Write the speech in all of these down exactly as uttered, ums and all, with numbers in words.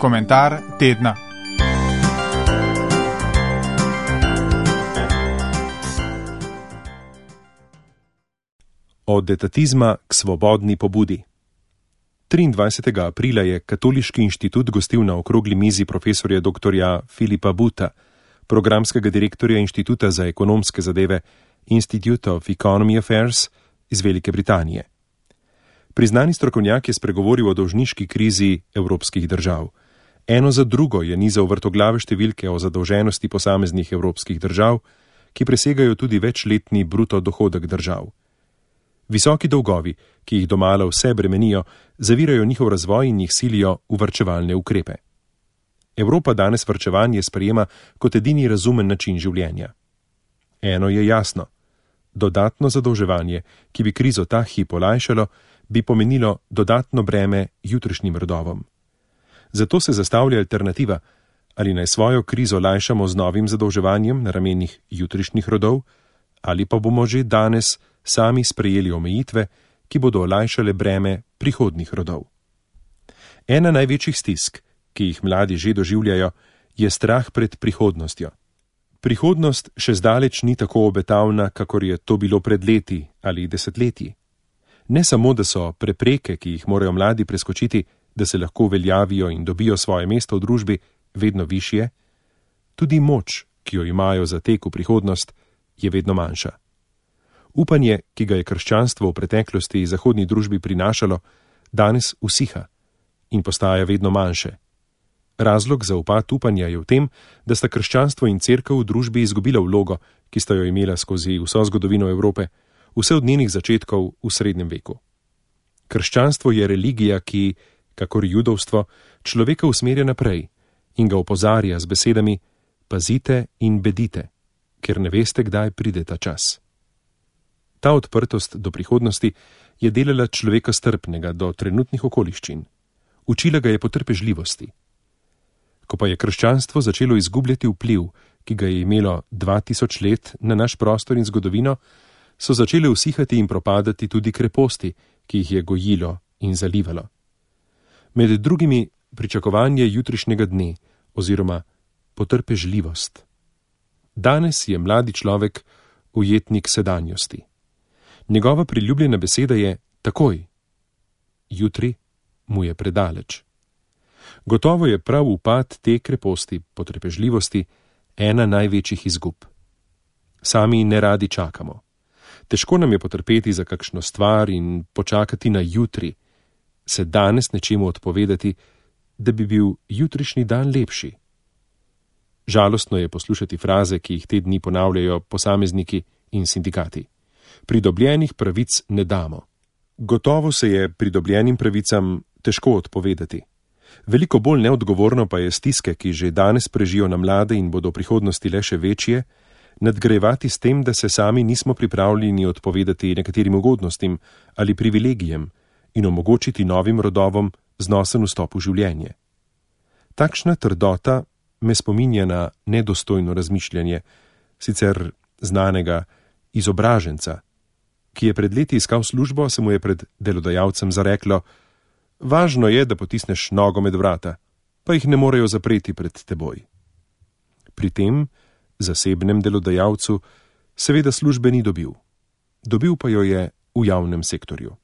Komentar tedna. Od etatizma k svobodni pobudi. triindvajsetega aprila je Katoliški inštitut gostil na okrogli mizi profesorja doktorja Filipa Buta, programskega direktorja Inštituta za ekonomske zadeve Institute of Economic Affairs iz Velike Britanije. Priznani strokovnjak je spregovoril o dolžniški krizi evropskih držav. Eno za drugo je nizal vrtoglave številke o zadolženosti posameznih evropskih držav, ki presegajo tudi večletni bruto dohodek držav. Visoki dolgovi, ki jih domala vse bremenijo, zavirajo njihov razvoj in jih silijo v varčevalne ukrepe. Evropa danes varčevanje sprejema kot edini razumen način življenja. Eno je jasno. Dodatno zadolževanje, ki bi krizo ta hip olajšalo, bi pomenilo dodatno breme jutrišnjim rodovom. Zato se zastavlja alternativa, ali naj svojo krizo lajšamo z novim zadolževanjem na ramenih jutrišnjih rodov, ali pa bomo že danes sami sprejeli omejitve, ki bodo olajšale breme prihodnjih rodov. Ena največjih stisk, ki jih mladi že doživljajo, je strah pred prihodnostjo. Prihodnost še zdaleč ni tako obetavna, kakor je to bilo pred leti ali desetletji. Ne samo, da so prepreke, ki jih morajo mladi preskočiti, da se lahko uveljavijo in dobijo svoje mesto v družbi, vedno višje, tudi moč, ki jo imajo za tek v prihodnost, je vedno manjša. Upanje, ki ga je krščanstvo v preteklosti zahodni družbi prinašalo, danes usiha in postaja vedno manjše. Razlog za upad upanja je v tem, da sta krščanstvo in cerkev v družbi izgubila vlogo, ki sta jo imela skozi vso zgodovino Evrope, vse od njenih začetkov v srednjem veku. Krščanstvo je religija, ki, kakor judovstvo, človeka usmerja naprej in ga opozarja z besedami: pazite in bedite, ker ne veste, kdaj pride ta čas. Ta odprtost do prihodnosti je delala človeka strpnega do trenutnih okoliščin. Učila ga je potrpežljivosti. Ko pa je krščanstvo začelo izgubljati vpliv, ki ga je imelo dva tisoč let na naš prostor in zgodovino, so začele usihati in propadati tudi kreposti, ki jih je gojilo in zalivalo. Med drugimi pričakovanje jutrišnjega dne oziroma potrpežljivost. Danes je mladi človek ujetnik sedanjosti. Njegova priljubljena beseda je takoj. Jutri mu je predaleč. Gotovo je prav upad te kreposti, potrpežljivosti, ena največjih izgub. Sami ne radi čakamo. Težko nam je potrpeti za kakšno stvar in počakati na jutri, se danes nečemu odpovedati, da bi bil jutrišnji dan lepši. Žalostno je poslušati fraze, ki jih te dni ponavljajo posamezniki in sindikati. Pridobljenih pravic ne damo. Gotovo se je pridobljenim pravicam težko odpovedati. Veliko bolj neodgovorno pa je stiske, ki že danes prežijo na mlade in bodo v prihodnosti le še večje, nadgrajevati s tem, da se sami nismo pripravljeni odpovedati nekaterim ugodnostim ali privilegijem in omogočiti novim rodovom znosen vstop v življenje. Takšna trdota me spominja na nedostojno razmišljanje, sicer znanega izobraženca, ki je pred leti iskal službo, se mu je pred delodajalcem zareklo: važno je, da potisneš nogo med vrata, pa jih ne morejo zapreti pred teboj. Pri tem zasebnem delodajalcu seveda službe ni dobil. Dobil pa jo je v javnem sektorju.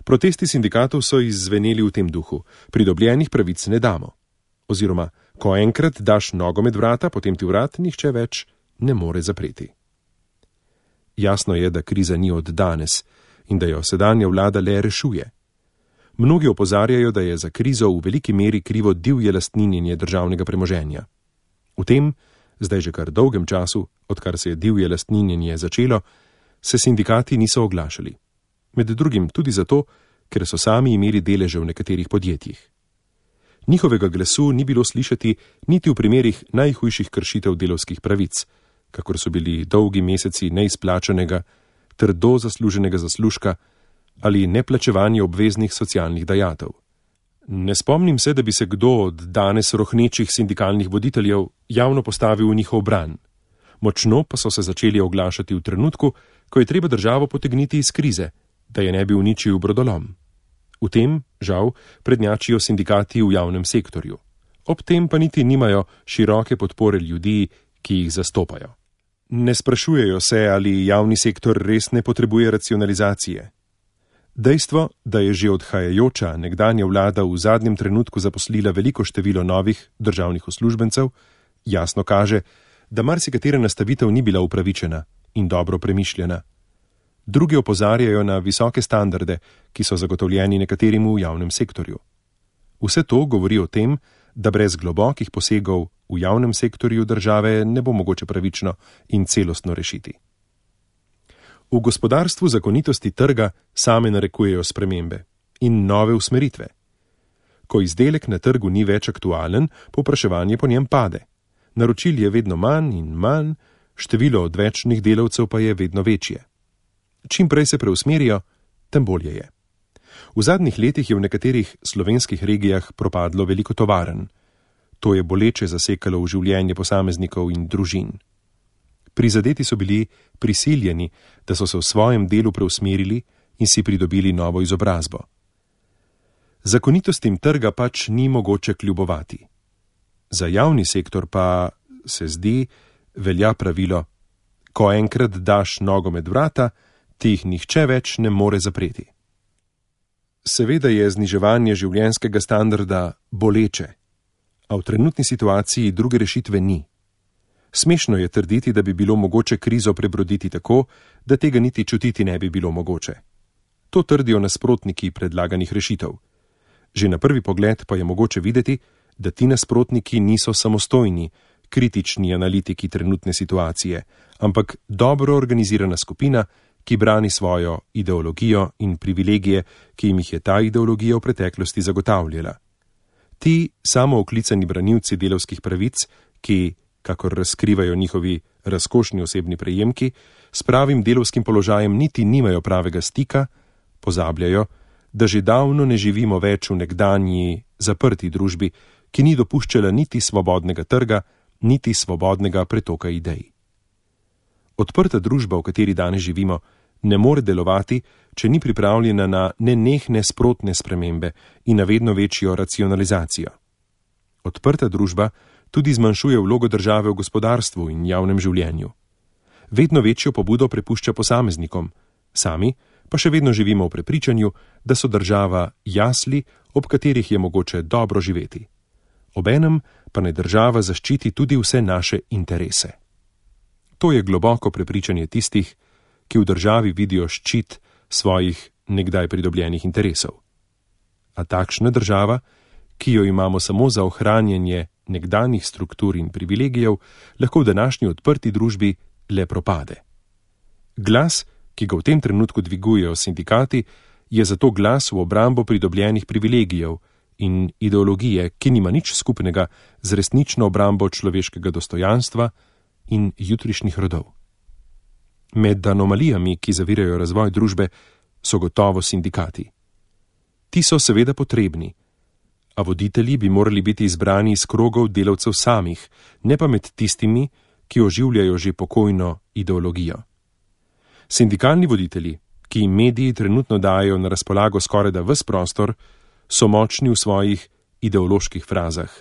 Protesti sindikatov so izzveneli v tem duhu: pridobljenih pravic ne damo. Oziroma, ko enkrat daš nogo med vrata, potem ti vrat nihče več ne more zapreti. Jasno je, da kriza ni od danes in da jo sedanja vlada le rešuje. Mnogi opozarjajo, da je za krizo v veliki meri krivo divje lastninjenje državnega premoženja. V tem, zdaj že kar dolgem času, odkar se je divje lastninjenje začelo, se sindikati niso oglašali. Med drugim tudi zato, ker so sami imeli deleže v nekaterih podjetjih. Njihovega glasu ni bilo slišati niti v primerih najhujših kršitev delavskih pravic, kakor so bili dolgi meseci neizplačanega, trdo zasluženega zaslužka ali neplačevanje obveznih socialnih dajatev. Ne spomnim se, da bi se kdo od danes rohnečih sindikalnih voditeljev javno postavil v njihov bran. Močno pa so se začeli oglašati v trenutku, ko je treba državo potegniti iz krize, da je ne bi uničil brodolom. V tem, žal, prednjačijo sindikati v javnem sektorju. Ob tem pa niti nimajo široke podpore ljudi, ki jih zastopajo. Ne sprašujejo se, ali javni sektor res ne potrebuje racionalizacije. Dejstvo, da je že odhajajoča nekdanja vlada v zadnjem trenutku zaposlila veliko število novih državnih uslužbencev, jasno kaže, da marsikatera nastavitev ni bila upravičena in dobro premišljena. Drugi opozarjajo na visoke standarde, ki so zagotovljeni nekaterim v javnem sektorju. Vse to govori o tem, da brez globokih posegov v javnem sektorju države ne bo mogoče pravično in celostno rešiti. V gospodarstvu zakonitosti trga same narekujejo spremembe in nove usmeritve. Ko izdelek na trgu ni več aktualen, povpraševanje po njem pade. Naročil je vedno manj in manj, število odvečnih delavcev pa je vedno večje. Čim prej se preusmerijo, tem bolje je. V zadnjih letih je v nekaterih slovenskih regijah propadlo veliko tovarn. To je boleče zasekalo v življenje posameznikov in družin. Prizadeti so bili prisiljeni, da so se v svojem delu preusmerili in si pridobili novo izobrazbo. Zakonitostim trga pač ni mogoče kljubovati. Za javni sektor pa, se zdi, velja pravilo: ko enkrat daš nogo med vrata, ti jih nihče več ne more zapreti. Seveda je zniževanje življenjskega standarda boleče, a v trenutni situaciji druge rešitve ni. Smešno je trditi, da bi bilo mogoče krizo prebroditi tako, da tega niti čutiti ne bi bilo mogoče. To trdijo nasprotniki predlaganih rešitev. Že na prvi pogled pa je mogoče videti, da ti nasprotniki niso samostojni, kritični analitiki trenutne situacije, ampak dobro organizirana skupina, ki brani svojo ideologijo in privilegije, ki jim jih je ta ideologija v preteklosti zagotavljala. Ti samooklicani branilci delavskih pravic, ki, kakor razkrivajo njihovi razkošni osebni prejemki, s pravim delavskim položajem niti nimajo pravega stika, pozabljajo, da že davno ne živimo več v nekdanji zaprti družbi, ki ni dopuščala niti svobodnega trga, niti svobodnega pretoka idej. Odprta družba, v kateri danes živimo, ne more delovati, če ni pripravljena na nenehne sprotne spremembe in na vedno večjo racionalizacijo. Odprta družba tudi zmanjšuje vlogo države v gospodarstvu in javnem življenju. Vedno večjo pobudo prepušča posameznikom, sami pa še vedno živimo v prepričanju, da so država jasli, ob katerih je mogoče dobro živeti. Obenem pa naj država zaščiti tudi vse naše interese. To je globoko prepričanje tistih, ki v državi vidijo ščit svojih nekdaj pridobljenih interesov. A takšna država, ki jo imamo samo za ohranjanje nekdanjih struktur in privilegijev, lahko v današnji odprti družbi le propade. Glas, ki ga v tem trenutku dvigujejo sindikati, je zato glas v obrambo pridobljenih privilegijev in ideologije, ki nima nič skupnega z resnično obrambo človeškega dostojanstva in jutrišnjih rodov. Med anomalijami, ki zavirajo razvoj družbe, so gotovo sindikati. Ti so seveda potrebni, a voditelji bi morali biti izbrani iz krogov delavcev samih, ne pa med tistimi, ki oživljajo že pokojno ideologijo. Sindikalni voditelji, ki jim mediji trenutno dajo na razpolago skorajda ves prostor, so močni v svojih ideoloških frazah.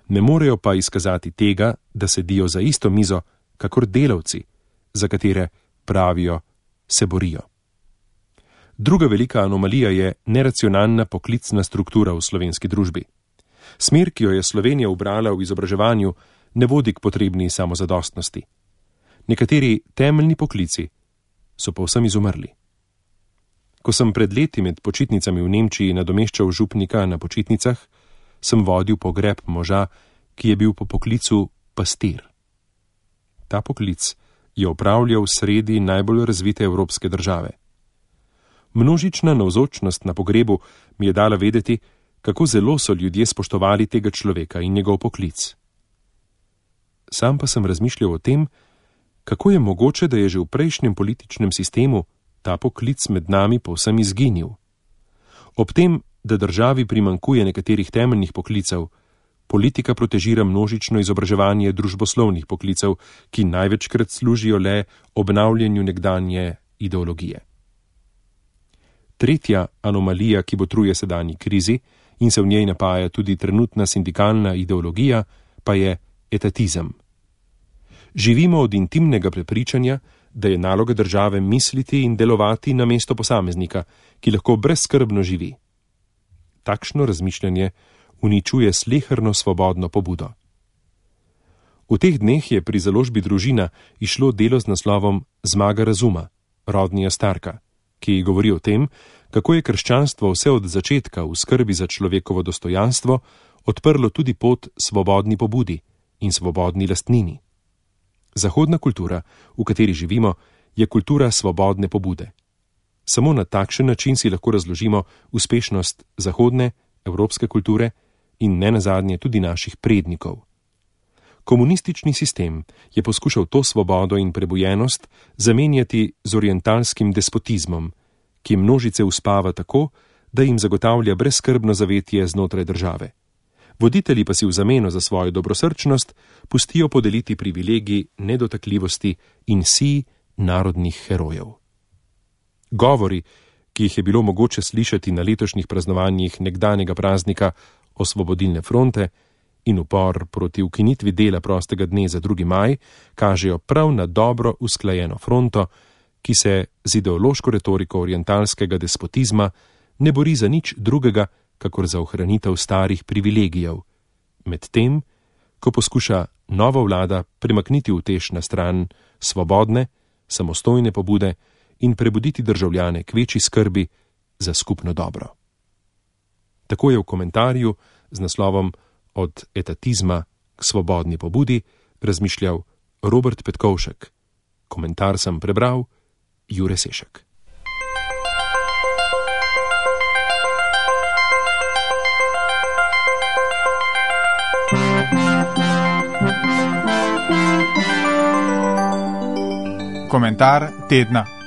Ne morejo pa izkazati tega, da sedijo za isto mizo, kakor delavci, za katere pravijo, se borijo. Druga velika anomalija je neracionalna poklicna struktura v slovenski družbi. Smer, ki jo je Slovenija ubrala v izobraževanju, ne vodi k potrebni samozadostnosti. Nekateri temeljni poklici so povsem izumrli. Ko sem pred leti med počitnicami v Nemčiji nadomeščal župnika na počitnicah, sem vodil pogreb moža, ki je bil po poklicu pastir. Ta poklic je opravljal sredi najbolj razvite evropske države. Množična navzočnost na pogrebu mi je dala vedeti, kako zelo so ljudje spoštovali tega človeka in njegov poklic. Sam pa sem razmišljal o tem, kako je mogoče, da je že v prejšnjem političnem sistemu ta poklic med nami povsem izginil. Ob tem, da državi primanjkuje nekaterih temeljnih poklicev, politika protežira množično izobraževanje družboslovnih poklicev, ki največkrat služijo le obnavljanju nekdanje ideologije. Tretja anomalija, ki botruje sedanji krizi in se v njej napaja tudi trenutna sindikalna ideologija, pa je etatizem. Živimo od intimnega prepričanja, da je naloga države misliti in delovati na mesto posameznika, ki lahko brezskrbno živi. Takšno razmišljanje uničuje sleherno svobodno pobudo. V teh dneh je pri založbi Družina išlo delo z naslovom Zmaga razuma, Rodnija Starka, ki govori o tem, kako je krščanstvo vse od začetka v skrbi za človekovo dostojanstvo odprlo tudi pot svobodni pobudi in svobodni lastnini. Zahodna kultura, v kateri živimo, je kultura svobodne pobude. Samo na takšen način si lahko razložimo uspešnost zahodne, evropske kulture in nenazadnje tudi naših prednikov. Komunistični sistem je poskušal to svobodo in prebujenost zamenjati z orientalskim despotizmom, ki množice uspava tako, da jim zagotavlja brezskrbno zavetje znotraj države. Voditelji pa si v zameno za svojo dobrosrčnost pustijo podeliti privilegij nedotakljivosti in sij narodnih herojev. Govori, ki jih je bilo mogoče slišati na letošnjih praznovanjih nekdanjega praznika Osvobodilne fronte, in upor proti ukinitvi dela prostega dne za drugi maj kažejo prav na dobro usklajeno fronto, ki se z ideološko retoriko orientalskega despotizma ne bori za nič drugega, kakor za ohranitev starih privilegijev, medtem, ko poskuša nova vlada premakniti utež na stran svobodne, samostojne pobude in prebuditi državljane k večji skrbi za skupno dobro. Tako je v komentarju z naslovom Od etatizma k svobodni pobudi razmišljal Robert Petkovšek. Komentar sem prebral Jure Sešek. Komentar tedna.